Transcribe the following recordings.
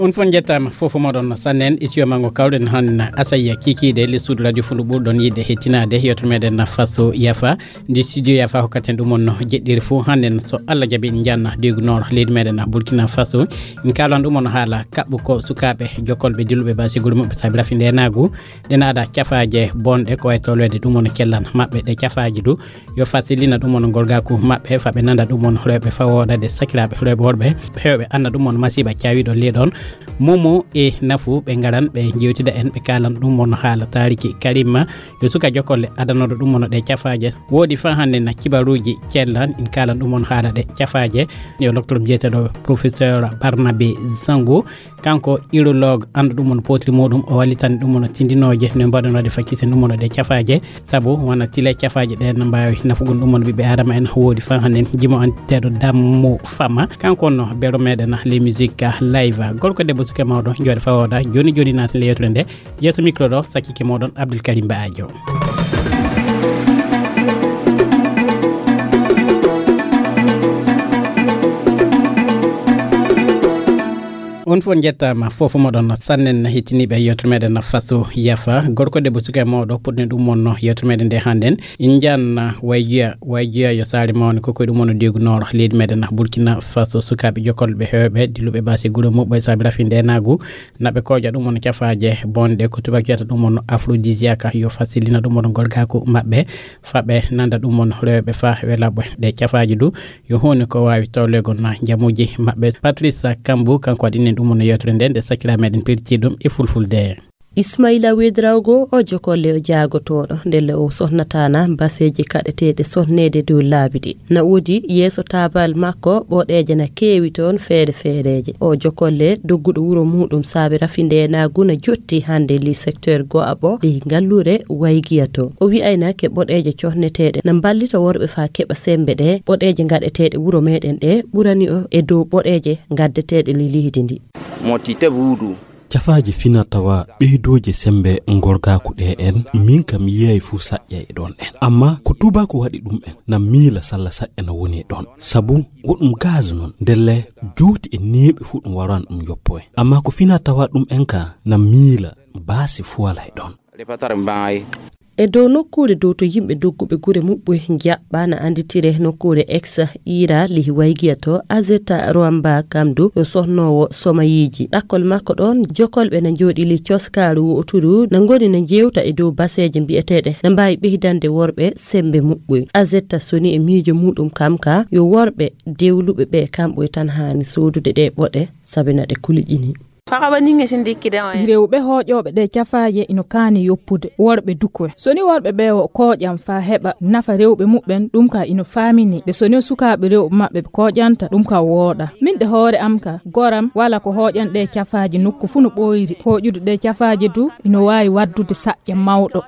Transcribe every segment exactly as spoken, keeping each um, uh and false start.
On fof njettaama, fof moɗon sannen e siyo mango kawɗen han asayya kikiiɗe le suudu radio fundu ɓurɗon yiɗde hettinaade yewtere meɗen Faso Yafa. Ndi studio Yafa hokkaten ɗum on no jeɗɗiri fof hannden so Allah jaɓi en njanna degu noor leydi meɗen Burkina Faso. En kaalan ɗum on haala kaɓɓu ko sukaaɓe jokkolɓe dilluɓe basi gure muɓɓe saabi rafi ndenaagu. Ɗen ada cafaaje bonɗe ko wayi tolweede ɗum on kellan maɓɓe ɗe cafaaji du. Yo fasilina ɗum on ngolgaaku maɓɓe fa ɓe nanda ɗum on rewɓe fa wooɗa ɗe sakiraaɓe rewɓe worɓe. Heewɓe annda ɗum on masiiba caawiiɗo leeɗon. Momo e nafu ɓe ngaran ɓe jewtida en ɓe kaalan ɗum on haala taariki Karima. Yo suka jokolle adanooɗo ɗum on ɗe cafaaje. Woodi fa hannde na kibaruuji cellan en kaalan ɗum on haala ɗe cafaaje. Yo loktorom jeeteɗo professeur Barnabe Zango. Kanko urologue anndu ɗum on potri muɗum o wallitani ɗum on tindinooje no mbaɗanode fakkisen ɗum on ɗe cafaaje. Sabu wona tile cafaaje ɗe no mbaawi nafugon ɗum on ɓiɓɓe adama en woodi fan hannen jimo anteɗo dammu fama kanko on no bero meɗen les musique live gorko debbo suke mawɗo jooɗe fawoda joni joni naati le yewtere nde. Yeeso micro ɗo sakkike moɗon Abdoul Karim Baajo. On fof njettaama fof moɗon sannen hettiniiɓe yewtere meɗen Faso Yafa. Gorko debbo suka e mawɗo puɗɗen ɗum wonno yewtere meɗen nde hannden. En njanna wayjiya wayjiya yo saare mawne ko koye ɗum wonno degu noor leydi meɗen Burkina Faso sukaaɓe jokkolɓe heewɓe dilluɓe basi gure muɓɓo e saabi rafi ndenaagu. Naɓe kooƴa ɗum wonno cafaaje bonɗe ko tubak wiyata ɗum wonno aphrodisiaque yo fasilina ɗum wonno gorgaaku maɓɓe. Fa ɓe nanda ɗum wonno rewɓe fa welaɓɓe ɗe cafaaji du. Yo huunde ko waawi tawlegol na njamuuji maɓɓe. Patrice Kambou kanko waɗi nen ɗum no yewtere nde nde sakkiraa meɗen pirti ɗum e fulfulde. Ismaila Wedrawgo o jokolle o jaagotooɗo ndelle o sohnataana baseeji kaɗeteeɗe sohneede dow laabi ɗi. Na woodi yeeso taabal makko ɓoɗeeje na keewi toon feere feereeje. O jokolle dogguɗo wuro muɗum saabi rafi ndeenaagu na jotti hannde li secteur go'aɓo li ngalluure waygiya to. O wi'ayna ke ɓoɗeeje cohneteeɗe na mballita worɓe faa keɓa semmbe ɗe ɓoɗeeje ngaɗeteeɗe wuro meɗen ɗe ɓurani o e dow ɓoɗeeje ngaddeteeɗe li leydi ndi. Mo tite buudu. Cafaaje fina tawa ɓeydooje semmbe ngorgaaku ɗe en min kam yiyay fuu saƴƴa e ɗoon en. Amma ko tuubaaku waɗi ɗum en na miila salla saƴƴa na woni e ɗoon. Sabu wo ɗum gaz noon ndelle juuti e neeɓi fuu ɗum waran ɗum yoppo en. Amma ko fina tawa ɗum en ka na miila baasi fuu wala e ɗoon. E dow nokkuure dow to yimɓe dogguɓe gure muɓɓoy jaɓɓa na annditire nokkuure ex ira lihi waygiya to azeta roamba kamdu yo sohnoowo somayiiji ɗakkol makko ɗoon jokolɓe na njooɗi li coskaaru wooturu na ngoni na njeewta e dow baseeje mbiyeteeɗe na mbaawi ɓeydande worɓe semmbe muɓɓoy azeta soni e miijo muɗum kam ka yo worɓe dewluɓe ɓe kamɓoy tan haani soodude ɗe ɓoɗe sabi na ɗe kuliƴini. Rewɓe hooƴooɓe ɗe cafaaje ino kaani yoppude worɓe dukoy. So ni worɓe ɓe o kooƴam faa heɓa nafa rewɓe muɓɓen, ɗum ka ino faamini. Nde so ni sukaaɓe rewɓe maɓɓe ɓe kooƴanta, ɗum ka wooɗa. Min ɗe hoore am ka, goram wala ko hooƴan ɗe cafaaje nokku fuu no ɓooyri. Hooƴude ɗe cafaaje du ino waawi waddude saƴƴa mawɗo.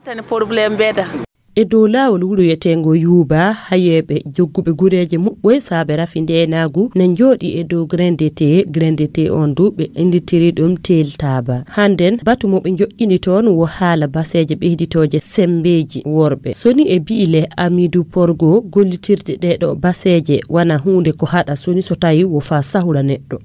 E dow laawol wuro wiyeteengo Yuuba, hayeeɓe jogguɓe gureeje muɓɓoy saabe rafi ndeenaagu na njooɗii e dow grindete. Grindete on du ɓe innditiri ɗum teeltaaba. Hannden batu mo ɓe njoƴƴini toon wo haala baseeje ɓeyditooje semmbeeji worɓe. Soni e bi'i le Amidu Porgo gollitirde ɗee ɗo baseeje wona huunde ko haɗa soni so tawi wo faa sahula neɗɗo.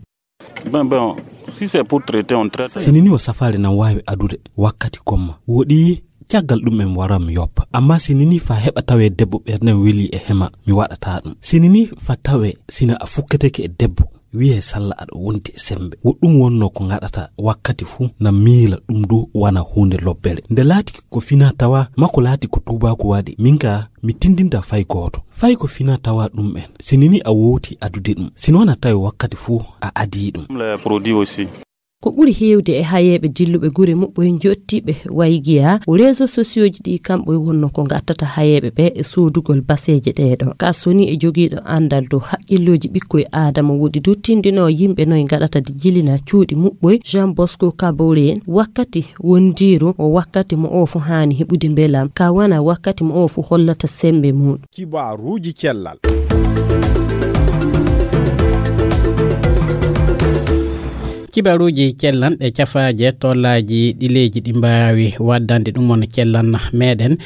Bon, bon, si c'est pour traiter, on traite. Si nini o safaare nan waawi adude wakkati gomma woɗi caggal ɗum en waran mi yoppa. Amma si nini fa heɓa tawe debbo ɓerden weli e hema mi waɗata ɗum. Si nini fa tawe sina a fukketeke e debbo wiye salla aɗa wondi e sembe. Wo ɗum wonno ko ngaɗata wakkati fuu na miila ɗum du wana huunde lobbere. Nde laati ko fina tawa makko laati ko tuubaaku waɗi. Min ka mi tindinta fay gooto. Fay ko fina tawa ɗum en. Si nini a wowti adude ɗum. Si noon a tawi wakkati fuu a adii ɗum. Le produit aussi. Ko ɓuri heewde e hayeeɓe dilluɓe gure muɓɓoy njottiiɓe waygiya ko réseaux sociaux ji ɗi kamɓoy wonno ko ngattata hayeeɓe ɓe e soodugol baseeje ɗee ɗo. Ka soni e jogiiɗo anndal dow haqqillooji ɓikkoy aadama woɗi du tindinoo yimɓe noy ngaɗata de jilina cuuɗi muɓɓoy Jean Bosco Kabore wakkati wondiiru o wakkati mo oo fu haani heɓude mbelam ka wana wakkati mo oo fu hollata sembe muɗum. Kibaaruuji cellal. Kibaruuji cellanɗe cafaaje tollaaji ɗileeji ɗi mbaawi waddande ɗum on cellan meɗen.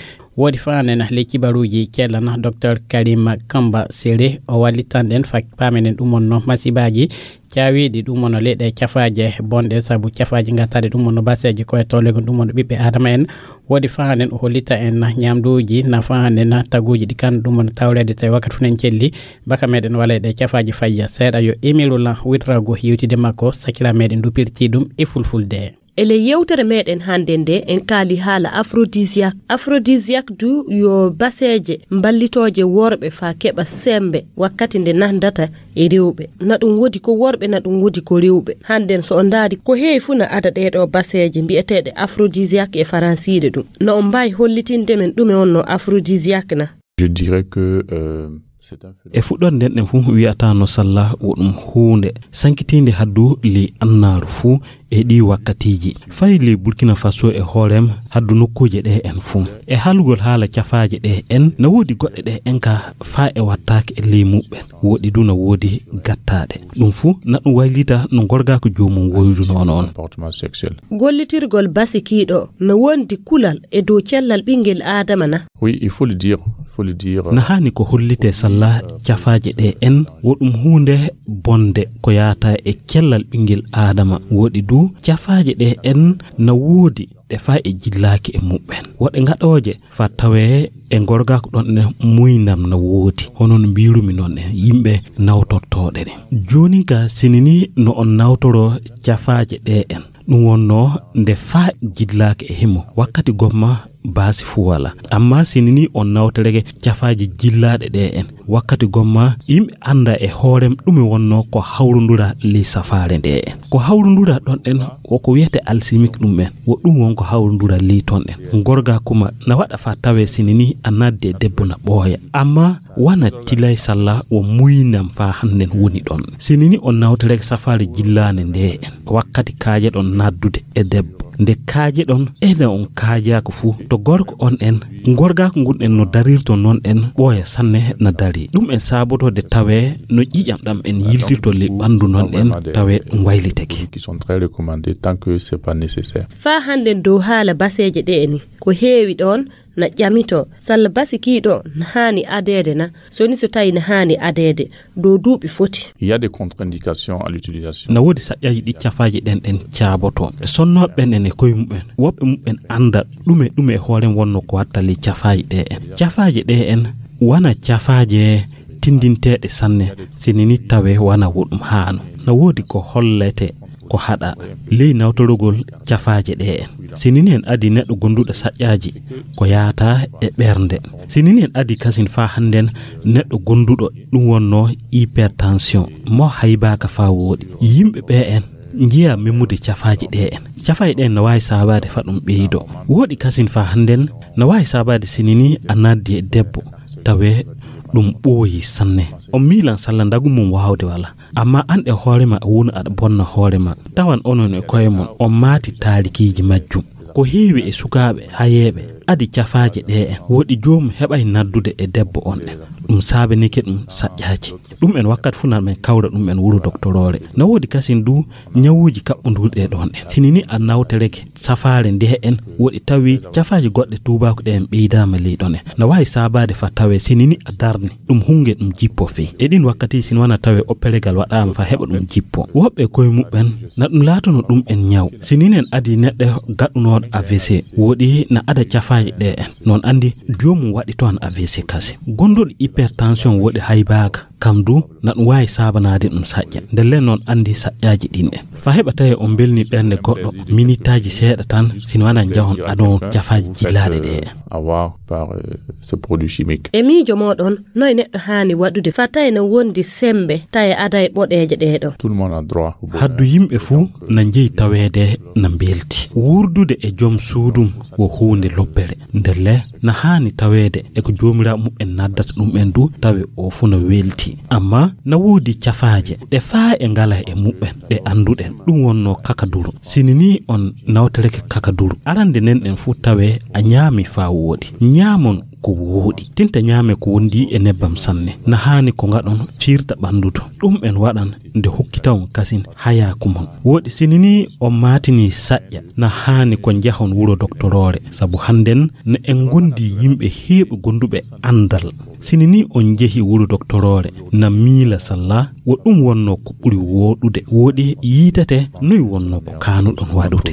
Woodi faanen ley kibaruuji cellana Docteur Karima Kamba Sere, o wallitan ɗen fa-, paamen en ɗum wonno masibaaji caawiiɗi ɗum wonno ley ɗe cafaaje bonɗe, sabu cafaaji ngattaaɗe ɗum wonno baseeje ko e tollegon ɗum wonno ɓiɓɓe Aadama en. Woodi faanen o hollita en ñaamduuji na faanen taguuji ɗi kan ɗum wonno tawreede tawi wakkati fuu en celli baka meɗen wala e ɗe cafaaji fayya seeɗa. Yo Emirula Witrago yewtide makko sakira meɗen dupirti ɗum e fulfulde. E ley yewtere meɗen hannde nde, en kaali haala aphrodisiaque. Aphrodisiaque du yo baseeje mballitooje worɓe faa keɓa semmbe wakkati nde nanndata e rewɓe. Na ɗum woodi ko worɓe, na ɗum woodi ko rewɓe. Hannden so on ndaari, ko heewi fuu na ada ɗee ɗoo baseeje mbi'eteeɗe aphrodisiaque e faransiire ɗum. No on mbaawi hollitinde men ɗume wonnoo aphrodisiaque na? Je dirais que, euh, c'est un phénomène. E fuɗɗoode nden ɗen fuu wi'ata no salla wo ɗum huunde sankitiinde haddu ley annaaru fuu e ɗii wakkatiiji. Fay ley Burkina Faso e hoorem haddu nokkuuje ɗee en fuu. E haalugol haala cafaaje ɗee en, na woodi goɗɗe ɗee en ka faa e wattaake e ley muɓɓen. Woɗɗi du na woodi gattaaɗe. Ɗum fuu na ɗum waylita no ngorgaaku joomum woyruno noon. Comportement sexuel. Gollitirgol basi kiiɗo no wondi kulal e dow cellal ɓinngel Aadama na? Oui, il faut le dire, il faut le dire. Na haani ko hollitee salla cafaaje ɗee en, wo ɗum huunde bonde ko yaata e cellal ɓinngel Aadama. Woɗi du cafaaje ɗee en na woodi ɗe faa e jillaaki e muɓɓen. Woɗɗe ngaɗooje faa tawee e ngorgaaku ɗon ɗen muynam na woodi. Hono no mbiirumi noon en, yimɓe nawtortooɗe ɗen. Joonin ka sinini no on nawtoroo cafaaje ɗee en. Ɗum wonnoo nde faa jillaaki e himo wakkati gomma baasi fuu walaa. Amma sinini on nawtoreke cafaaji jillaaɗe ɗee en. Wakkati gomma yimɓe annda e hoorem ɗume wonnoo ko hawrundura ley safaare ndee en. Ko hawrundura ɗon ɗen wo ko wiyetee alchimique ɗum en. Wo ɗum won ko hawrundura ley ton ɗen. Ngorgaaku ma na waɗa faa tawee sinini a naddi e debbo na ɓooya. Amma wana tilay salla wo muynam faa hannden woni ɗon. Sinini on nawtoreke safaare jillaande ndee en. Wakkati kaaje ɗon naddude e debbo. Nde kaaje ɗon, ene on kaajaaka fuu, to gorko on en, ngorgaaku ngun en no darirto non en, ɓooya sanne na dari. Ɗum en saabotoo de tawee no ƴiiƴam ɗam en yiltirto ley ɓanndu non en, tawee ɗum waylitake. Qui sont très recommandés tant que c'est pas nécessaire. Faa hannden dow haala baseeje ɗee ni, ko heewi ɗon na ƴamito, salla basi kiiɗo na haani adeede na, so ni so tawi na haani adeede, dow duuɓi foti. Il y a des contre-indications à l'utilisation. Na woodi saƴƴaaji ɗi cafaaji ɗen ɗen caaboto. Sonnooɓe ɓen en e koye muɓɓen, woɓɓe muɓɓen annda ɗume ɗume e hoore wonnoo ko watta ley cafaaji ɗee en. Cafaaji ɗee en wana cafaaje tinndinteeɗe sanne, sinini tawee wana wo ɗum haano. Na woodi ko hollete ko haɗa ley nawtorogol cafaaje ɗee en. Sinini en adi neɗɗo gonduɗo saƴƴaaji ko yaata e ɓernde. Sinini en adi kasin faa hannden neɗɗo gonduɗo ɗum wonnoo hypertension, mo haybaaka faa wooɗi. Yimɓe ɓee en njiya memmude cafaaji ɗee en. Cafaaji ɗee en no waawi saabaade faa ɗum ɓeydoo. Wooɗi kasin faa hannden no waawi saabaade sinini a naddi e debbo, tawee ɗum ɓooyi sanne. On miilan salla ndagu mum waawde wala. Amma an e hoore ma, a wonu aɗa bonna hoore ma. Tawan onon e koye mon, on maati taarikiiji majjum. Ko heewi e sukaaɓe hayeeɓe adi cafaaje ɗee en. Woɗi joomum heɓay naddude e debbo on en. Ɗum saabanike ɗum saƴƴaaji. Ɗum en wakkati fuu na men kawra ɗum en wuro doktoroore. Na woodi kasin du ñawuuji kaɓɓondirɗi e ɗon en. Sinini a nawtoreke safaare ndee en, woɗi tawi cafaaji goɗɗe tuubaaku ɗe en ɓeydaama ley ɗon en. Na waawi saabaade faa tawee sinini a darni. Ɗum hunnge ɗum jippo fey. E ɗin wakkati, sini wana tawee opperegal waɗaama faa heɓa ɗum jippo. Woɓɓe koye muɓɓen, na ɗum laatono ɗum en ñaw. Sinini en adi neɗɗo gaɗunooɗo A V C, woɗi na ada cafaaji ɗee en. Non anndi joomum waɗi to an A V C kasi. Gonduɗo hypertension woɗi haybaaka, kam du na ɗum waawi saabanaade ɗum saƴƴa. Ndelle non anndi saƴƴaaji ɗin en. Faa heɓa tawee on mbelni ɓernde goɗɗo, minitaaji seeɗa tan, sini wana njahon adon cafaaji jillaaɗe ɗee en. Avoir par, euh, ce produit chimique. E miijo mooɗon, noy neɗɗo haani waɗude faa tawee na wondi semmbe, tawee aday ɓoɗeeje ɗee ɗoo? Tout le monde a droit au bonheur. Haddu yimɓe fuu na njeyi taweede na mbelti. Wuurdude e jom suudum wo huunde lobbere. Ndelle na haani taweede e ko joomiraaɓe muɓɓen naddata ɗum en Du tawe o fuu na welti. Amma na woodi cafaaje ɗe faa e ngala e muɓɓen, ɗe annduɗen. Ɗum wonnoo kakaduru. Sini nii on nawtoreke kakaduru. Arande nen en fuu tawe a ñaami faa wooɗi. Ñaamon ko wooɗi. Tinta ñaame ko wondi e nebbam sanne. Na haani ko ngaɗon fiirta ɓanndu to. Ɗum en waɗan nde hokkita on kasin hayaaku mon. Wooɗi sini nii on maatini saƴƴa. Na haani ko njahon wuro doktoroore. Sabu hannden na en ngondi yimɓe heewɓe gonduɓe anndal. Sini nii on njehi wuro doktoroore, na miila salla, wo ɗum wonnoo ko ɓuri wooɗude. Wooɗi yiitete noy wonnoo ko kaanuɗon waɗude.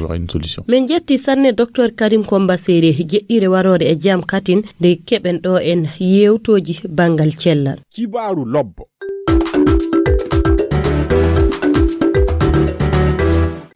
Min njetti sanne Docteur Karim Komba Sere, jeɗɗire waroore e jam katin, nde keɓen ɗo en yeewtooji banngal cellal. Kibaaru lobbo.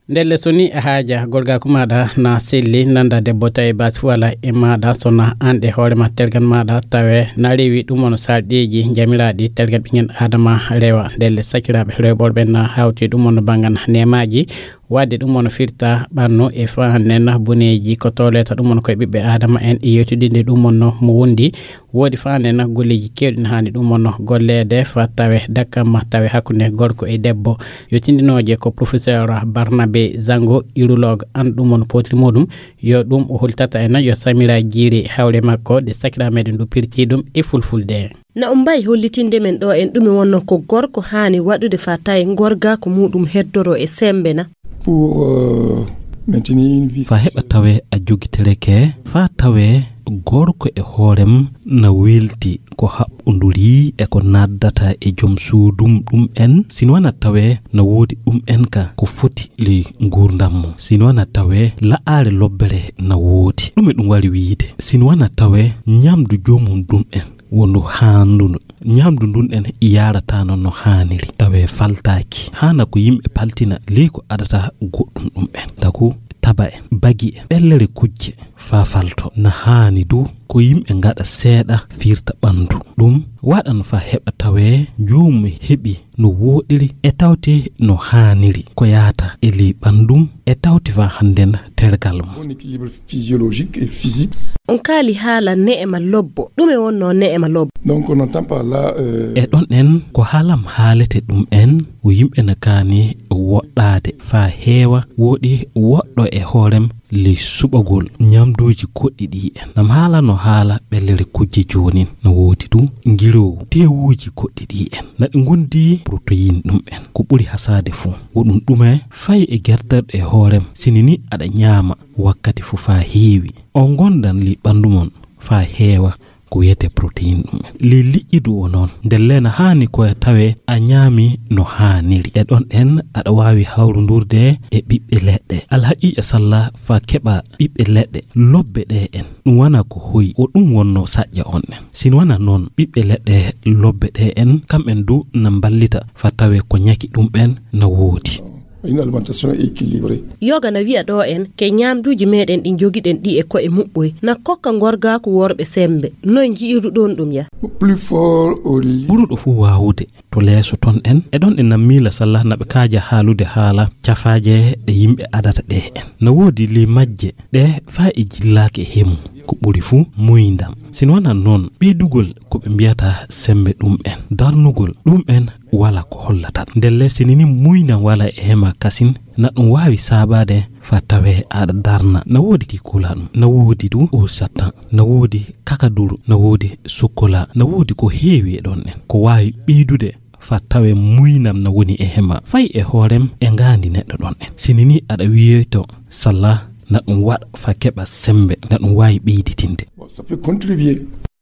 Ndelle so ni a haaja gorgaaku maaɗa na selli, nanda debbo tawi baasi fu wala e maaɗa, so na an e hoore ma tergal maaɗa tawe na rewi ɗum on sarɗiiji jamiraaɗi tergal ɓingen Adama rewa. Ndelle sakiraaɓe rewɓorɓe na hawti ɗum on bangan neemaaji, wadde ɗum on firta ɓannu e fahannen boneeji ko toleta ɗum on koye ɓiɓɓe Adama en e yewtidinde ɗum on mo wondi. Woodi faande na golleeji keewɗi na haani ɗum on golleede fa tawe dakkam ma tawe hakkunde gorko e debbo. Yo tindinooje ko professeur Barnabe Zango, urologue, an ɗum on potri muɗum. Yo ɗum o holtata en yo Samira Jiiri hawre makko de sakira meɗen ɗo pirti ɗum e fulfulde. Na on mbawi hollitinde men ɗo en ɗume wonno ko gorko haani waɗude fa tawe ngorga ko muɗum heddoro e sembe na? Pour, euh, maintenir une vie Fa heɓa sexuelle. Tawe a jogitereke, fa tawe gorko e hoorem na welti ko haɓɓonduri e ko naddata e joom suudum ɗum en, sino wana tawe na woodi ɗum en ka ko foti ley nguurndam mum, sino wana tawe la'aare lobbere na woodi. Ɗume ɗum wari wiide? Sino wana tawe ñamdu joomum ɗum en wondu haandundu. Ñamdu ndun en yaarataano no haaniri. Tawe faltaaki. Haana ko yimɓe paltina ley ko adata goɗɗum ɗum en. Taku taba en, bagi en, ɓellere kujje, faa falto. Na haani du ko yimɓe ngaɗa seeɗa firta ɓandu. Ɗum waɗan faa heɓa tawe joomum heɓi no wooɗiri e tawti no haaniri. Ko yaata e ley ɓandum e tawti faa hannden tergal mum. Bon équilibre physiologique et physique. On kaali haala ne'ema lobbo. Ɗume wonno ne'ema lobbo? Donc, on n'entend pas là, euh, E ɗon en ko haalam haalete ɗum en, o yimɓe na kaani woɗɗaade faa heewa, woɗi woɗɗo e hoorem ley suɓagol ñamduuji goɗɗi ɗi en. Nam haala no haala ɓellere kujje joonin. No woodi du ngiroowu, teewuuji goɗɗi ɗi en. Na ɗi ngondi protéine ɗum en. Ko ɓuri hasaade fuu. Wo ɗum ɗume fay e gerterɗe e hoorem. Sini ni aɗa ñaama wakkati fuu faa heewi. On ngondan ley ɓandu mon faa heewa ko wiyetee protéine ɗum en. Ley liƴƴi du o noon. Ndelle na haani ko tawe a ñaami no haaniri. E ɗon en aɗa waawi hawrundurde e ɓiɓɓe leɗɗe. Alhaqiiqa salla faa keɓa ɓiɓɓe leɗɗe lobbe ɗe en. Ɗum wana ko hoyi o ɗum wonno saƴƴa on en. Sino wana noon ɓiɓɓe leɗɗe lobbe ɗe en, kam en du na mballita faa tawe ko ñaki ɗum en na woodi. Une alimentation équilibrée. Yoga na wi'a ɗo en ke ñaamduuji meɗen ɗi jogiɗen ɗi e ko'e muɓɓoy na kokka ngorgaaku worɓe sembe. Noy nji'iruɗon ɗum ya? Plus fort au lit. Ɓuruɗo fuu waawude to leeso ton en. E ɗon en na miila salla na ɓe kaaja haalude haala cafaaje ɗe yimɓe adata ɗe en. Na woodi ley majje ɗe faa e jillaaki e hemu. Ko ɓuri fuu muyndan. Sino wana noon ɓeydugol ko ɓe mbiyata sembe ɗum en. Darnugol ɗum en wala ko hollata. Ndelle sini ni muyndan wala e hema kasin, na ɗum waawi saabaade faa tawe aɗa darna. Na woodi ki kula ɗum. Na woodi du o satan. Na woodi kakaduru. Na woodi sokkola. Na woodi ko heewi e ɗon en. Ko waawi ɓeydude faa tawe muynam na woni e hema. Fay e hoorem e ngaandi neɗɗo ɗon en. Sini ni aɗa wiyoyto salla na ɗum waɗa faa keɓa sembe. Na ɗum waawi ɓeyditinde. Bon, ça peut contribuer.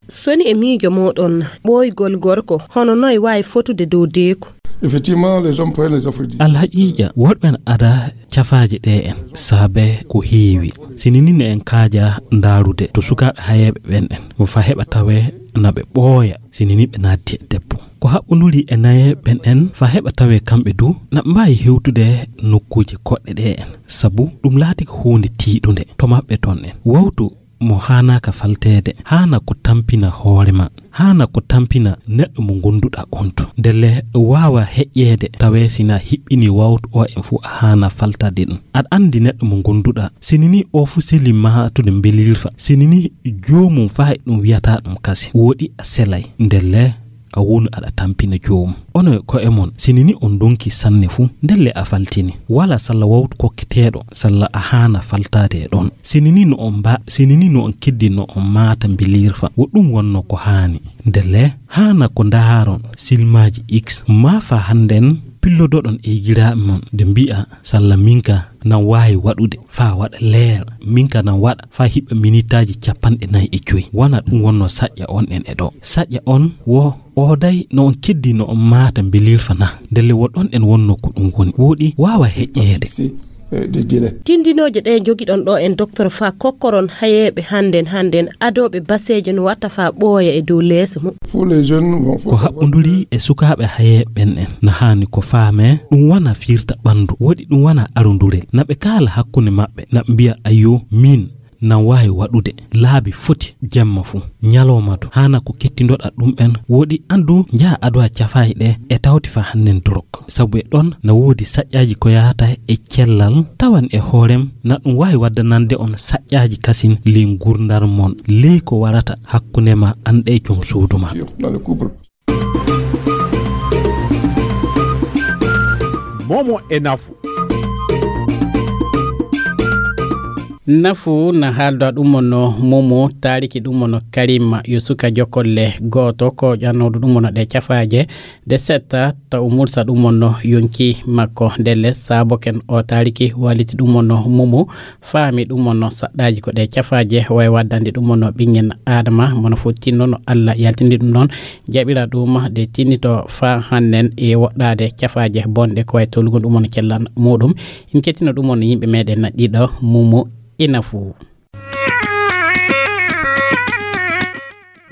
Soni e miijo mooɗon ɓooygol gorko, hono noy waawi fotude dow deeku? Effectivement, les hommes prennent les aphrodisiaques. Alhaqiiqa, worɓe na ada cafaaje ɗe en, saabe ko heewi. Sini ni ne en kaaja ndaarude to sukaaɓe hayeeɓe ɓen en, mo fa heɓa tawe na ɓe ɓooya, sini ni ɓe naatti e debbo. Ko haɓɓunduri e naye ɓen en, fa heɓa tawe kamɓe du, na ɓe mbaawi hewtude nokkuuje koɗɗe ɗe en, sabu ɗum laati ko huunde tiiɗunde to maɓɓe ton en. Wawtu mo haanaaka falteede, haana ko tampina hoore ma, haana ko tampina neɗɗo mo ngonduɗa on to. Ndelle waawa heƴƴeede tawee sina hiɓɓini wawtu o en fuu a haana faltade ɗum. Aɗa anndi neɗɗo mo ngonduɗa, sini ni o fuu seli maatude mbelirfa, sini ni joomum faa e ɗum wiyata ɗum kasi, woɗi a selay. Ndelle a wonu aɗa tampina joomum. Onon e ko'e mon, sini ni on ndonki sanne fuu, ndelle a faltini. Wala salla wawtu kokketeeɗo, salla a haana faltaade e ɗon. Sini ni no on mba-, sini ni no on keddi no on maata mbilirfa. Wo ɗum wonno ko haani. Ndelle, haana ko ndaaron silmaaji X, maa faa hannden pillodoɗon e yigiraaɓe mon, de mbi'a, salla minka nan waawi waɗude, faa waɗa leer, minka nan waɗa, faa hiɓɓa minitaaji capanɗe nayi e joy. Wana ɗum wonno saƴƴa on en e ɗo. Saƴƴa on wo ooday no on keddi no on maata mbilirfa na. Ndelle wo ɗon en wonno ko ɗum woni. Wooɗi waawa heƴƴeede. Si, eh, de dile. Tindinooje ɗe njogiɗon ɗo en doktor faa kokkoron hayeeɓe hannden, hannden adooɓe baseeje no watta faa ɓooya e dow leeso mum. Pour les jeunes, bon, faut Ko savoir haɓɓunduri e sukaaɓe hayeeɓe ɓen en. Na haani ko faamee, ɗum wana fiirta ɓanndu. Woɗi ɗum wana arundurel. Na ɓe kaala hakkunde maɓɓe, na ɓe mbi'a, "Ayyo, min, nan waawi waɗude laabi foti jemma fuu, ñalawma to, haana ko kettindoɗa ɗum en, woɗi anndu njaha adowa cafaaji ɗe e tawti faa hannden dorok." Sabu e ɗon na woodi saƴƴaaji ko yahata e cellal, tawan e hoorem na ɗum waawi waddanande on saƴƴaaji kasin ley ngurdam mon, ley ko warata hakkunde ma an e jom suudu ma. Dans le couple. Momo e nafu. Nafu na haalda ɗum mono Momo, taariki ɗum mono Karima, yo suka jokolle gooto ko ƴannooɗo ɗum mono ɗe cafaaje, de setta taw mursa ɗum mono yonki makko. Ndelle saaboken o taariki waliti ɗum mono Momo, faami ɗum mono saɗɗaaji ko ɗe cafaaje, way waddande ɗum mono ɓiŋŋen Aadama, mono fof tinno no Alla yaltindi ɗum ɗon, jaɓira ɗum de tinnito faa hannden e woɗɗaade cafaaje bonɗe ko way tolugol ɗum mono cellan muɗum. In kettino ɗum mono yimɓe meɗen na ɗiɗo, Momo e Nafu.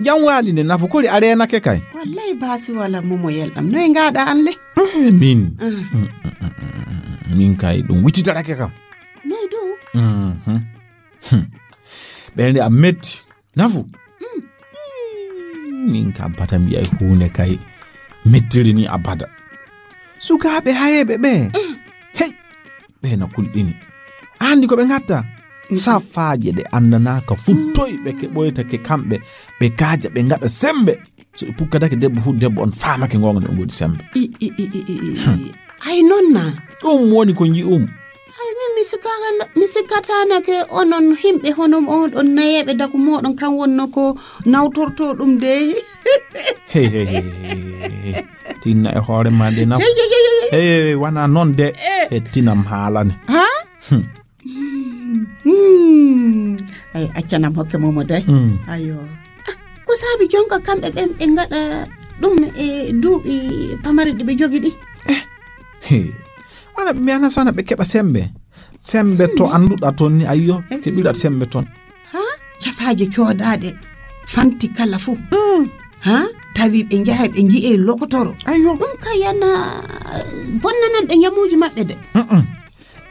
Jam waali nde Nafu kori a reenake kay. Wallay baasi wala Momo yelɗam. Noy ngaɗa an le? Eh, min. Ah. Mm, mm, mm, mm, mm. Min kay ɗum wititorake kam. Noy dow? Mhm. Hmm. Ɓernde am metti. Nafu. Mm. Mm, min kam bata mbiyay huunde kay mettiri ni abada. Sukaaɓe hayeeɓe ɓe. Mm. Hey. Ɓe na kulɗini. Anndi ko ɓe ngatta? Mm. Safaaje ɗe anndanaaka fu toy ɓe keɓoyta ke kamɓe, ɓe kaaja, ɓe ngaɗa sembe. So ɓe pukkadake debbo fu, debbo on faamake ngoonga no ɓe ngoodi sembe. I, i, i, i, i, i. Hmm. Ay, non na? Ɗum woni ko nji'um. Ay, min mi sikaka-, mi sikkatanake onon himɓe hono oɗon nayeeɓe daku moɗon kan wonno ko nawtorto ɗum de. Hey, hey, hey, hey, hey, hey. Tinna e hoore ma de Nafu. Hey, hey, hey, hey, hey. Hey, hey, hey, wana non de. Eh. E tinam haalane. Ha? Hmm. Hmm. Ay, accanam hokke Momo de. Hmm. Ayo. Ah, ko saabi jonka kamɓe ɓen ɓe ngaɗa ɗum e duuɓi pamari ɗi ɓe jogi ɗi? Eh. He. Wana ɓe mbiyana sona ɓe keɓa sembe. Sembe to annduɗa ton ni, ayyo, eh, keɓiɗa sembe ton. Ha? Cafaaje coodaaɗe fanti kala fuu. Hmm. Ha? Tawi ɓe njaha ɓe nji'e lokotoro. Ayyo. Ɗum ka yana bonnanan ɓe ñamuuji maɓɓe de. Mm-mm.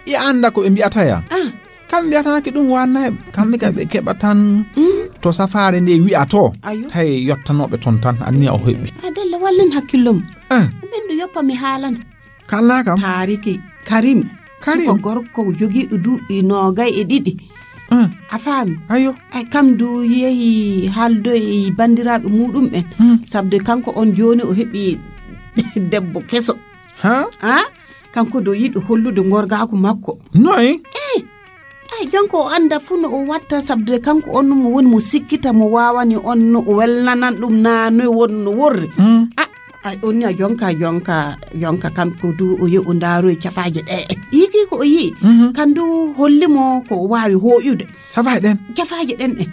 I annda ko ɓe mbi'ata ya? Ah. Kamɓe mbiyatanaaki ɗum waanna e kamɓe ka ɓe keɓa tan. Mm. To safaare nde wi'a to. Ayo. Tawi yottanooɓe ton tan, anniya o heɓi. A dalla wallin hakkillo mum. Ah. Ɓen ɗo yoppa mi haalana. Kalna kam. Taariki Karim. Karim. Suko gorko jogiiɗo duuɓi noogay e ɗiɗi. Ah. A faami? Ayo. Ay, kam du yehi haaldoy e banndiraaɓe muuɗum ɓen. Hmm. Sabde kanko on jooni o heɓi debbo keso. Ha? Ha? Kanko do yiɗi hollude ngorgaaku makko. Noy? Eh, ay, jonko o annda fuu no o watta, sabde kanko on mo woni mo sikkita, mo waawani on no o welnanan ɗum naa noy won no worri. Mm. A, ay, on ni a jonka, jonka, jonka kanko du o yehi o ndaaroyi cafaaje ɗe. Yiki ko o yi'i, mhm, kan du holli mo ko o waawi hooƴude. Cafaaje ɗen? Cafaaje ɗen ɗe.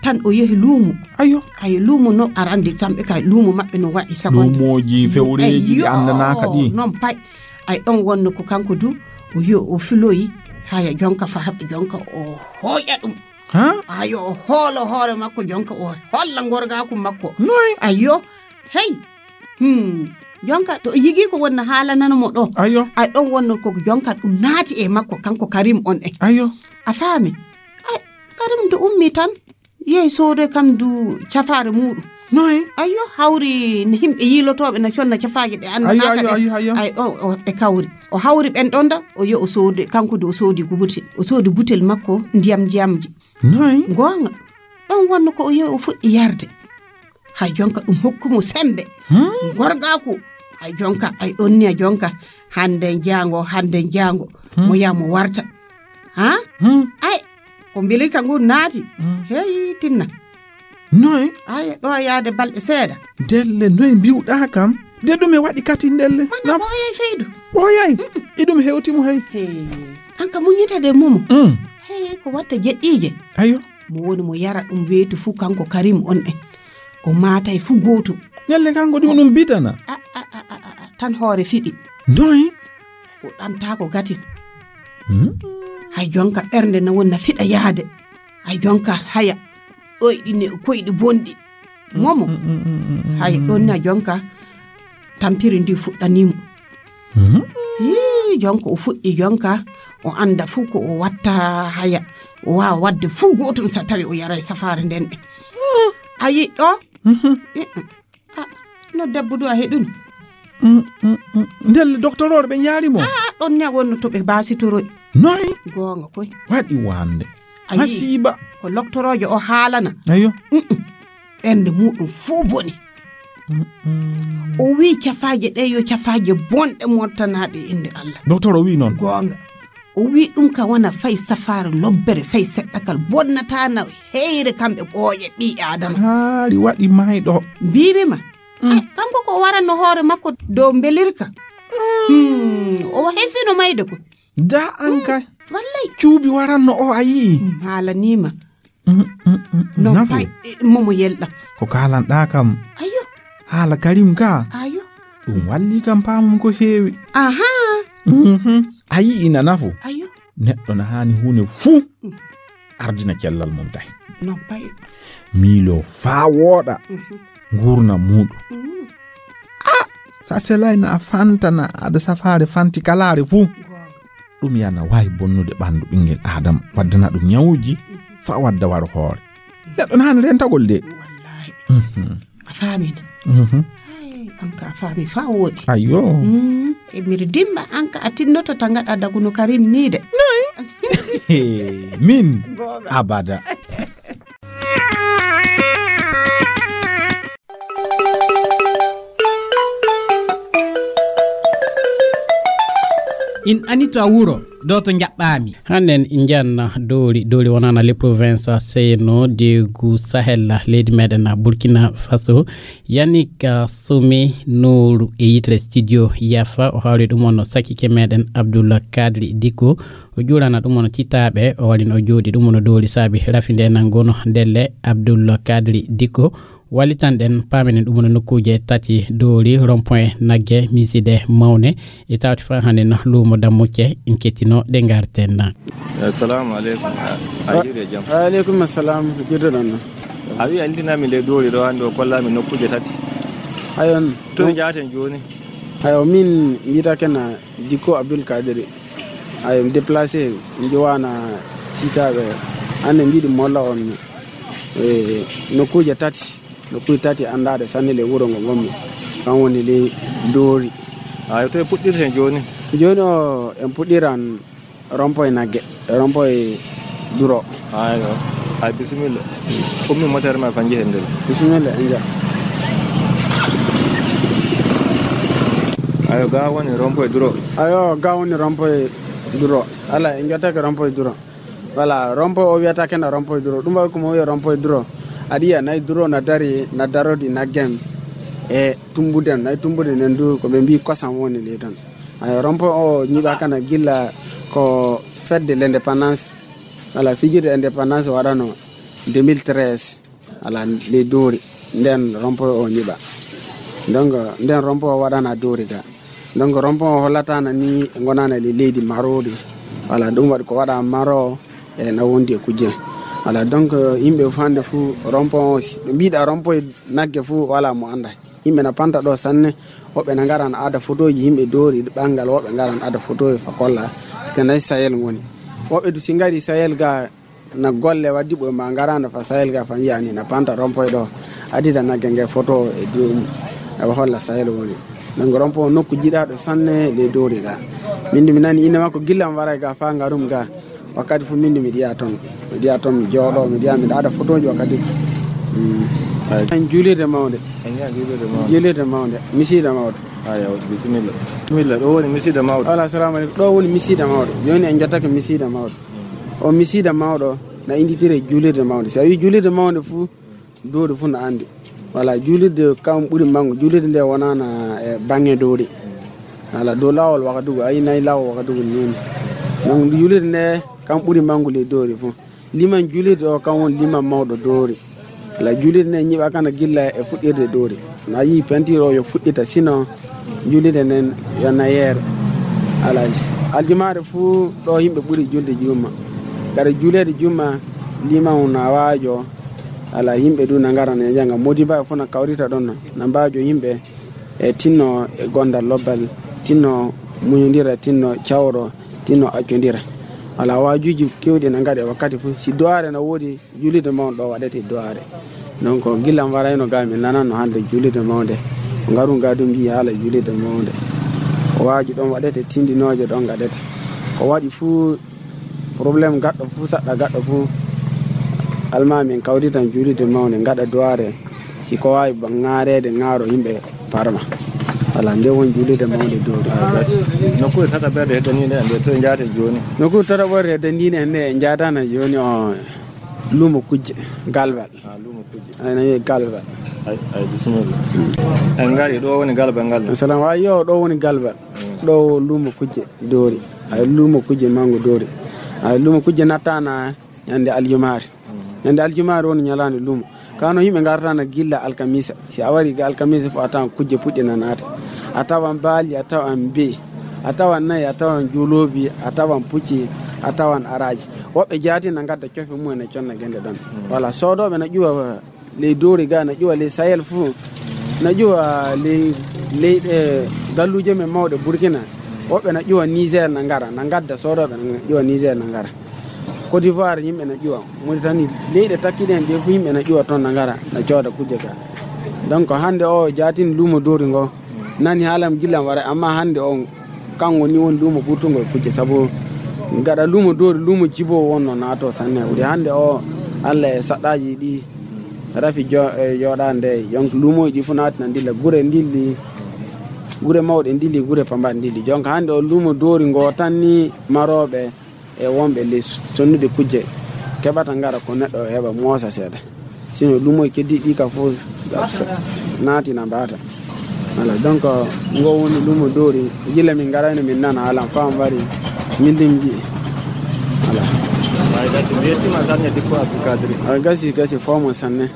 Tan o yehi luumo. Ayo. Ay, luumo no arande tan ɓe kay luumo maɓɓe no waɗi sagonde. Luumooji fewreeji ɗi anndanaa ka ɗi. Non pay. Ay, ɗon wonno ko kanko du, o yo o filoyi, haya jonka fa haɓa jonka o hooƴa ɗum. Ha? Ayo, o hoolo hoore makko jonka o holla ngorgaaku makko. Noy? Ayo, hey. Hmm. Jonka to yigi ko wonna haalanano mo ɗo. Ayo. Ay, ɗon wonno ko jonka ɗum naati e makko kanko Karim on e. Ayo. A faami? Ay, Karim do ummi tan. Yehi soodoy kam du cafaare muuɗum. Noy? Ayyo, hawri ne himɓe yiilotooɓe na conna cafaaje ɗe anndanaa ka ɗen. Ayyo, ayyo, ayyo. Ay, ɗo, o, ɓe kawri. O hawri ɓen ɗon da, o yo o soode, kanko du o soodi ko butel. O soodi butel makko ndiyam ndiyamji. Noy? Goonga. Ɗon wonno ko o yo o fuɗɗi yarde. Hay jonka ɗum hokku mo sembe. Hmm? Gorgaaku. Hay jonka, ay ɗon niya jonka. Hande jaango, hande jaango. Hmm? Mo yaa mo warta. Ha? Hmm? Ay, ko mbilirka ngun naati. Hmm. Hey, tinna. Noy? Ay, ɗo yaade balɗe seeɗa. Ndelle, noy mbiwɗaa kam? De ɗum e waɗi kati ndelle. Mana ɓooyay feydu. Ɓooyay? Mm-mm. Iɗum hewti mo hay. Hey, an ka muññita de momo. Mm. Hey, ko watta jeɗɗiije. Ayo. Mo woni mo yara ɗum weetu fu kanko Karim on en. O maatay fu gootum. Ndelle kanko ɗum ɗum bidana. A, a, a, a, a, a, tan hoore fiɗi. Noy? O ɗamtaako gatin. Hmm? Hay jonka ɓernde na woni na fiɗa yaade. Hay jonka haya. Ɗoyɗi ne, koyɗi bonɗi. Momo. Mm, mm, mm, mm, mm, hay mm. Ɗon na jonka tampiri ndi fuɗɗani mo. Mhm. Hii, jonka o fuɗɗi jonka, o annda fuu ko o watta haya. O waawa waɗde fuu gootum so tawi o yaray safaare nden ɗe. A yi'i ɗo? Mhm. Eh, eh. Ah, no debbo du a heɗun? Mm, mm, mm. Ndelle doktorooɓe ɓe njaari mo? Ah, ɗon ne wonno to ɓe baasitoroy. Noy? Goonga koy. Waɗi wande. A yi'i? Masiiba. Ko loktoroojo o haalana. Ayo. Mm, mm. Ɓernde muuɗum fuu boni. Mm, mm. O wi'i cafaaje ɗe yo cafaaje bonɗe mottanaaɗe innde Allah. Doktor o wi'i noon. Goonga. O wi'i ɗum ka wona fay safaare lobbere, fay seɗɗakal, bonnataa na heyre kamɓe ɓooƴe ɓii Aadama. Haari waɗi maayɗo. Mbiimi ma, mm. Ay, kanko ko o waranno hoore makko dow mbelirka. Mm. Hmm, o hesino mayde ko. Da an ka. Mm, wallay. Cuubi waranno o a yi'i. Mm, haalanii ma. Mm, mm, mm, mm. Non, nafu. Pay, eh, momo yelɗa. Ko kaalanɗaa kam. Ayo. Haala Karim ka. Ayo. Ɗum walli kam paamum ko heewi. Aha. Mhm. A yi'i na nafu. Ayo. Neɗɗo na haani huune fuu. Mm. Ardina cellal mum tahi. Non pay. Miilo faa wooɗa. Mhm. Nguurna muuɗum. Mm. Ah, sa selay na a fantana aɗa safaare fanti kalaare fuu. Goonga. Ɗum yana waawi bonnude ɓanndu ɓinngel Aadama, waddana ɗum ñawuuji, mhm, faa wadda waro hoore. Neɗɗo na haani rentagol de. Wallaahi. Mhm. A faamii na? Mhm. Ay, an ka a faamii faa wooɗi. Ayyo. Mm, e mbiɗa dimba an ka a tinnoto ta ngaɗa daguno Karim nii de. Noy? Min? Goonga. Abada. In ani to a wuro, do to njaɓɓaami. Hannde en njanna Dowri. Dowri wonana le province Seyno de gu Sahel, leydi meɗen Burkina Faso. Yannick, ah, Somi Nooru e yitere studio Yafa, o hawri ɗum on no sakike meɗen Abdoul Kadri Diko. O juurana ɗum on titaaɓe, o waɗino o jooɗi ɗum on Dowri saabi rafi nde nan gono ndelle Abdoul Kadri Diko. Wallitanɗen, paamenen ɗum no nokkuuje tati Dowri, rond-point Nagge, miside mawne, e tawti fa hannde no luumo Dammucce, en kettino ɗe ngarten. Assalamu aleykum. A, a juuri e jam? Wa aleykum assalam. Jurduɗon no? A wi a liltinami nde Dowri ɗo hannde o kollami nokkuuje tati. Ayon. To njaaten jooni? Ayo, min mbiyata kena Dikko Abdul Kadiri. Ayo, mi déplacé, mi jowana titaɓe. Hannde mbiɗi molla on, e, nokkuuje tati. Nokkuuje tati anndaɗe sanne le wuro ngo ngonmi. Kan woni le Dowri. Ayo, to e puɗɗirten jooni? Jooni o, en puɗɗiran rond-point Nagge, rond-point Duro. Ayo. Ay, bisimilla. Ummi moteur ma kan jehen nder. Bisimilla, en jaa. Ayo, ga woni rond-point Duro. Ayo, ga woni rond-point Duro. Ala, en jottake rond-point Duro. Voilà, rond-point o wiyata kena rond-point Duro. Ɗum waɗi ko mo wiya rond-point Duro. Aɗa yiya nayi Duro na dari, na darodi Naggem e Tumbuden. Nayi Tumbude nden du ko ɓe mbi kosam woni le ton. Ayo, rond-point o ñiɓa kana gilla ko fedde l'indépendance. Voilà, fijirde indépendance waɗano deux mille treize. Voilà, le Dowri. Nden rond-point o ñiɓa. Donc, nden rond-point o waɗana Dowri ga. Donc, rond-point o hollatana ni gonana le leydi marori. Voilà, ɗum waɗi ko waɗa maro e na wondi e kujje. Voilà, donc, yimɓe fof hannde fof rond-point o, si ɓe mbiɗa rond-point Nagge fof, voilà, mo annda. Yimɓe na panta ɗo sanne, woɓɓe na ngaran aada photoji yimɓe Dowri ɓanngal, woɓɓe ngaran aada photoji fa kolla, ko nayi Sahel ngoni. Woɓɓe du si ngari Sahel ga, Na golle waddi ɓoy ma ngarano fa Sahel ga fa yi'ani na panta rompoy ɗo. Adida nagge nge photo e dow mum. E wa holla Sahel woni. Donc rompoy nokku jiɗaɗo sanne le dowri ga. Min du mi nani inde makko gillam waray ga fa ngarum ga. Wakkati fu min du mi ɗiya ton. Mi ɗiya ton mi jooɗo, mi ɗiya mi ɗaɗa photoji wakkati. Mm. Ay. En julirde mawnde. En yi'a julirde mawnde. Julirde mawnde. Misiida mawɗo. Ay, awa, bisimilla. Bisimilla, ɗo woni misiida mawɗo. Wala, assalamu aleykum. Ɗo woni misiida mawɗo. Joni en jottake misiida mawɗo. O misiida mawɗo na inditire julirde mawnde. Si a wi julirde mawnde fu, dowri fu na andi. Wala, julirde kam ɓuri mangu. Julirde nde wonana e bange dowri. Wala, dow lawol wakadugu, ayi nayi lawol wakadugu nini. Donc, julirde nde kam ɓuri mangu le dowri fu. Liman julirde o kam woni liman mawɗo dowri. Wala, julirde nde ñiɓa kana gilla e fuɗɗirde dowri. Na yi peinture o yo fuɗɗita, sinon julirde nden yo nayeere. Wala, aljumaare fu ɗo yimɓe ɓuri julde juma. Gara juleede juma, liman na waajo. Wala, yimɓe du na ngara na janga. Modiba fu na kawrita ɗon, na mbaajo yimɓe e tinno e gondal lobbal, tinno muñodira, tinno cawro, tinno accondira. Wala, waajuji kewɗi na ngaɗe wakkati fu. Si duwaare na woodi, julirde mawɗo ɗo waɗete duwaare. Donc, gillam warayno ga, min nanano hande julirde mawnde. Ko ngarum ga du mbi'i haala julirde mawnde. Ko waaju ɗon waɗete, tindinooje ɗon ngaɗete. Ko waɗi fu, problème gaɗɗo fu, saɗɗa gaɗɗo fu, alma min kawritan julirde mawnde, ngaɗa duwaare. Si ko waawi ba-, ŋaareede, ŋaaro yimɓe parma. Wala, nde won julirde mawnde dowri. Nokkuure tataɓerde heddaniinde en nde, to en njaate jooni? Nokkuure tataɓerde heddaniinde en nde, en njaatana jooni o luumo kujje, Galbal. Ah, luumo kujje. Ay, na wiye Galbal. Ay, ay, bisimilla. En ngari, ɗo woni Galbal ngal? Salam, wa yo, ɗo woni Galbal. Mm. Ɗo luumo kujje dowri. Ay, luumo kujje mango dowri. Ay, luumo kujje nattana ñande aljumaare. Mm. Ñande aljumaare woni ñalaande luumo. Kano yimɓe ngartana gilla alkamisa. Si a wari ga alkamisa fu a tawan kujje puɗɗi na naata. A tawan baali, a tawan be'i, a tawan nayi, a tawan juuloobi, a tawan pucci, a tawan araaji. Woɓɓe jaati na ngadda cofe mum en e conna gende ɗon. Mm. Wala, soodooɓe na ƴuwa ley dowri ga, na ƴuwa ley Sahel fu, na ƴuwa ley, ley ɗe galluuje men mawɗe Burkina. Woɓɓe na ƴuwa Niger na ngara, na ngadda soodooɓe na ƴuwa Niger na ngara. Côte d'Ivoire yimɓe na ƴuwa, Mauritanie, leyɗe takkiɗe en ɗe fu yimɓe na ƴuwa ton na ngara, na cooda kujje ga. Donc hande o jaatin luumo dowri ngo, nani haalam gillam wara, amma hande o kanko ni woni luumo ɓurtungo e kujje, sabu gaɗa luumo dowri, luumo jibo wonno naato sanne. Wuri hande o Allah e saɗɗaji ɗi rafi jo-, e jooɗaande, donc luumoji ɗi fu naati na ndilla, gure ndilli, gure mawɗe ndilli, gure pambaɗe ndilli. Donc hande o luumo dowri ngo tan ni marooɓe e wonɓe ley sonnude kujje keɓata ngara ko neɗɗo heɓa moosa seeɗa. Sino luumoji keddiɗi ɗi ka fof naati na mbaata. Voilà, donc ngo woni luumo dowri. Gila min ngarayno min nana alam fam wari min lim ji. Voilà. Ay gasi, mi yettima sanne dikko Abdou Kadri. Ay gasi, gasi fo mo sanne.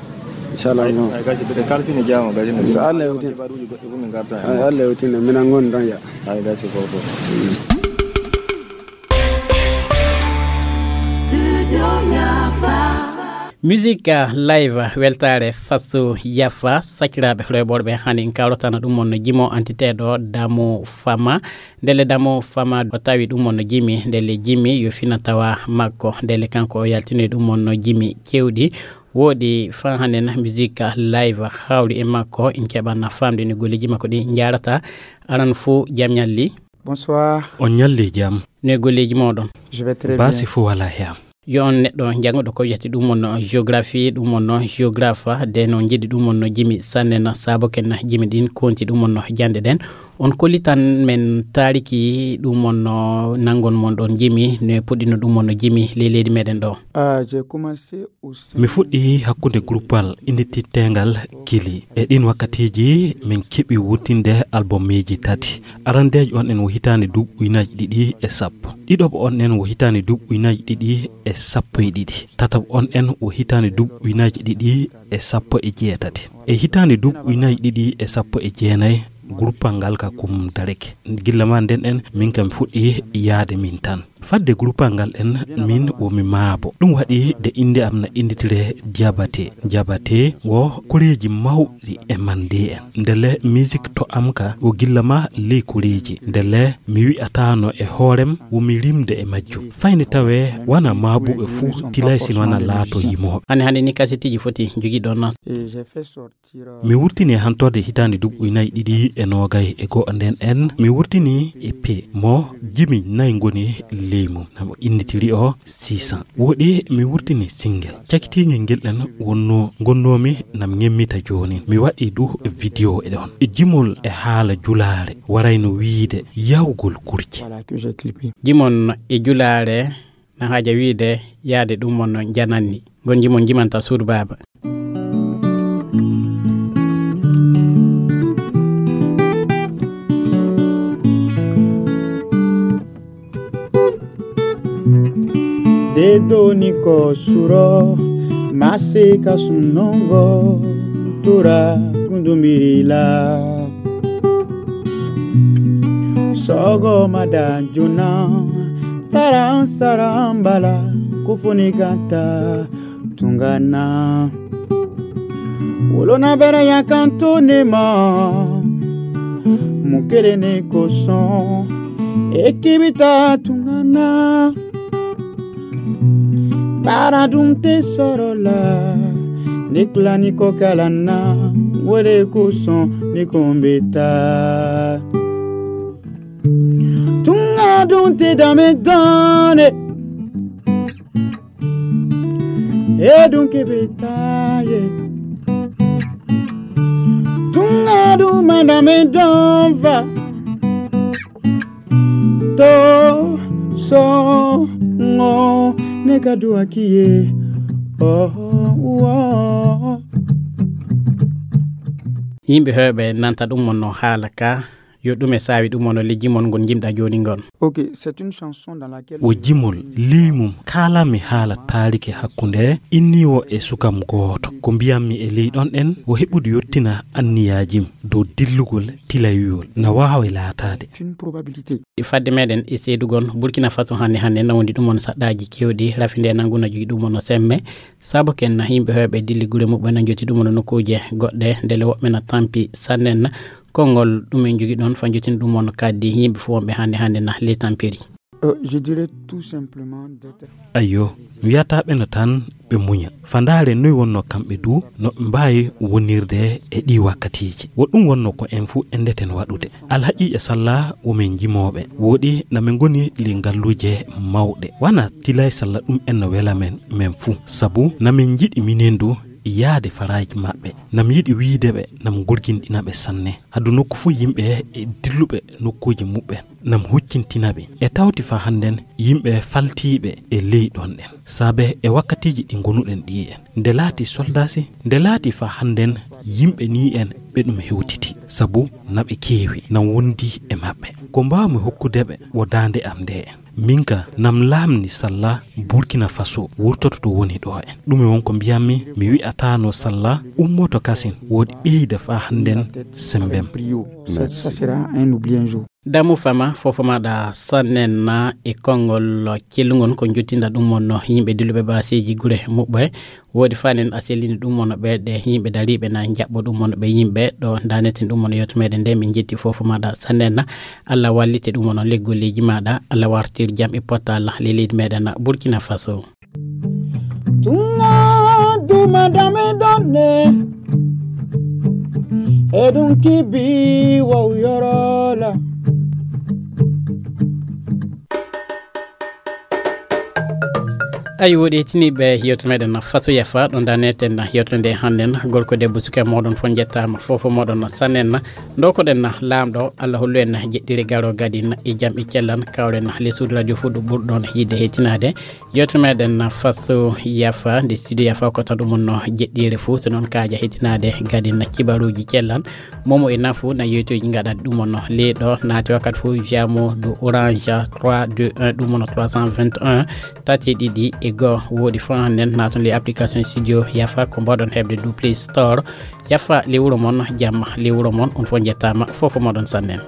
Inchallah. Ay, ay gasi, ɓe kalfini jaamo gasi. So Allah yewtin. Baruji goɗɗi fu min garta. Ay, Allah yewtin, min an ngoni ɗon ya. Ay gasi fo fo. Studio Yafa. Musique live, weltaare faso Yafa, sakiraaɓe rewɓe ɓe hani en kawrotana ɗum on jimo antiteeɗo Damo Fama. Ndele Damo Fama o tawi ɗum on jimi, ndele jimi yo fina tawa makko, ndele kanko o yaltinoyi ɗum on jimi kewɗi. Woodi fan hannde na musique live hawri e makko, en keɓana famde no golleji makko ɗi njaarata. Aran fo jam ñalli. Bonsoir. On ñalli jam. No e golleji moɗon? Je vais très bien. Basi fo wala he am. Yo on neɗɗo jannguɗo ko wiyete ɗum on géographie, ɗum on géographe, de no njiɗi ɗum on jimi sanne na sabo ken jimi ɗin konti ɗum on jande ɗen. On kollitan men taariki ɗum on nangon mon ɗon jimi, no e puɗɗino ɗum on jimi ley leydi meɗen ɗo. Ah, j'ai commencé au sein. Mi fuɗɗi hakkunde gruppal innititeengal Kili. E ɗin wakkatiiji, min keɓi wurtinde albumiji tati. Arandeejo on en wo hitaande duuɓi ujunaaji ɗiɗi e sappo. Ɗiɗoɓo on en wo hitaande duuɓi ujunaaji ɗiɗi e sappo e ɗiɗi. Tataɓo on en wo hitaande duuɓi ujunaaji ɗiɗi e sappo e jeetati. E hitaande duuɓi ujunaaji ɗiɗi e sappo e jeenayi, gruppal ngal ka kum dareke. Gilla ma nden en, min kam fuɗɗi yaade min tan. Fadde groupal ngal en, min wo mi maabo. Ɗum waɗi de innde am na innditire Diabaté. Diabaté wo koreeji mawɗi e mande en. Ndelle musique to am ka wo gilla ma ley koreeji. Ndelle mi wi'ataano e hoorem wo mi rimde e majjum. Fayni tawee wana maabuɓe fuu tilay sino wana laato yimooɓe. Hannde, hannde ni kasetiiji foti jogiiɗon na. Mi wurtini e hantorde hitaande duuɓi nayi ɗiɗi e noogay e go'o nden en. Mi wurtini E P mo jimi nayi ngoni ley mum. Namo innitiri o six cents. Woɗi mi wurtini single. Cakitiingel ngel ɗen wonno ngonnoomi nam ngemmita jooni. Mi waɗi du video e ɗon. E jimol e haala julaare warayno wiide yawgol kurce. Voilà que j'ai clippé. Jimon e julaare na haaja wiide yaade ɗum mon no jananni. Ngon jimon jimanta suudu baaba. De doni ko suro mase ka sunongo tura kundumiri la. Sogo mada juna taran sarambala kufuni gata tungana. Wolona bere ya kanto ne ma mukele ne koson ekibita tungana. Bara dum te sorola niklani ko kalana wole koson ni kombeta. Tunga dum te dame done. E dunke betaye. Tunga du mandame donva. To so ngo ne ka du akiye. Oh, oh. Yimɓe heewɓe nanta ɗum mon no haala ka. Yo ɗume saawi ɗum wano le jimol ngol jimɗa jooni ngol? Ok, c'est une chanson dans laquelle wo jimol ley mum kaalanmi haala taariki hakkunde inniiwo e sukam gooto. Ko mbiyanmi e ley ɗon ɗen wo heɓude yottina anniyaajim dow dillugol tilayuyol na waawi laataade. C'est une probabilité. Fadde meɗen e seedugol Burkina Faso hannde hannde na wondi ɗum wano saɗɗaaji kewɗi rafi nde nangu na jogi ɗum wano semme. Sabu ken na yimɓe heewɓe dilli gure muɓɓen na joti ɗum no nokkuuje goɗɗe, ndele woɓɓe na tampi sannen na konngol ɗum en jogi ɗon fa jotin ɗum on kaddi yimɓe fof wonɓe hannde hannde na le tampiri. Euh, je dirais tout simplement d'être Ayyo, mi wiyata ɓe no tan ɓe muña. Fandaare noy wonno kamɓe du, no ɓe mbaawi wonirde e ɗi wakkatiiji. Wo ɗum wonno ko en fuu enndeten waɗude. Alhaqiiqa salla wo men jimooɓe. Wooɗi na min ngoni le ngalluuje mawɗe. Wana tilay salla ɗum en no wela men, men fuu. Sabu na min njiɗi minen du yaade faraaji maɓɓe. Nam yiɗi wiide ɓe, nam gurginɗina ɓe sanne. Hadu nokku fuu yimɓe e dilluɓe nokkuuji muɓɓen. Nam huccintina ɓe. E tawti fa hannden yimɓe faltiiɓe e ley ɗon ɗen. Saabe e wakkatiiji ɗi ngonuɗen ɗi en. Nde laati soldaasi, nde laati fa hannden yimɓe ni en ɓe ɗum hewtiti. Sabu na ɓe keewi, na wondi e maɓɓe. Ko mbaawmi hokkude ɓe wo daande am nde en. Min ka nam laamni salla Burkina Faso wurtoto to woni ɗo en. Ɗum e won ko mbiyanmi, mi wi'ataano salla ummoto kasin woodi ɓeyda fa hannden sembem. Ça, ça sera un oubli un jour. Damu fama, fofo maɗa sannen na e konngol cellungol ko jottinda ɗum wonno yimɓe dilluɓe baaseeji gure muɓɓe. Woodi fanen a sellini ɗum wonno ɓe ɗe yimɓe dariiɓe na jaɓɓo ɗum wonno ɓe yimɓe ɗo daneten ɗum wonno yewto meɗen nde min jetti fofo maɗa sannen na. Allah wallite ɗum wonno leggolleeji maɗa. Allah wartir jam e pottal le leydi meɗen na Burkina Faso. Tunga duma dame donne. Edun kibi wa uyorola. Ayi woɗi tiniɓe yewto meɗen faso yafa ɗon daneten yewto nde hannden gorko debbo suka moɗon fof jettama fofo moɗon sannen dokoɗen laamɗo Allah hollu en jeɗɗiri garo gadin e jam e cellan kawren les suudu radio fuu ɗo ɓurɗon yidde hettinade. Yewto meɗen faso yafa nde studio yafa ko tan ɗum no jeɗɗire fuu so noon kaaja hettinaade gadin kibaruuji cellan. Momo e nafu na yewtuuji gaɗaɗi ɗum no leeɗo naati wakkati fof jamo do orange trois deux un ɗum no trois cent vingt et un tati ɗiɗi e goo woodi fof hannden naton le application studio yafa ko mbaɗon heɓde du play store. Yafa le wuro mon jamma le wuro mon on fof jettama fofo moɗon sannen.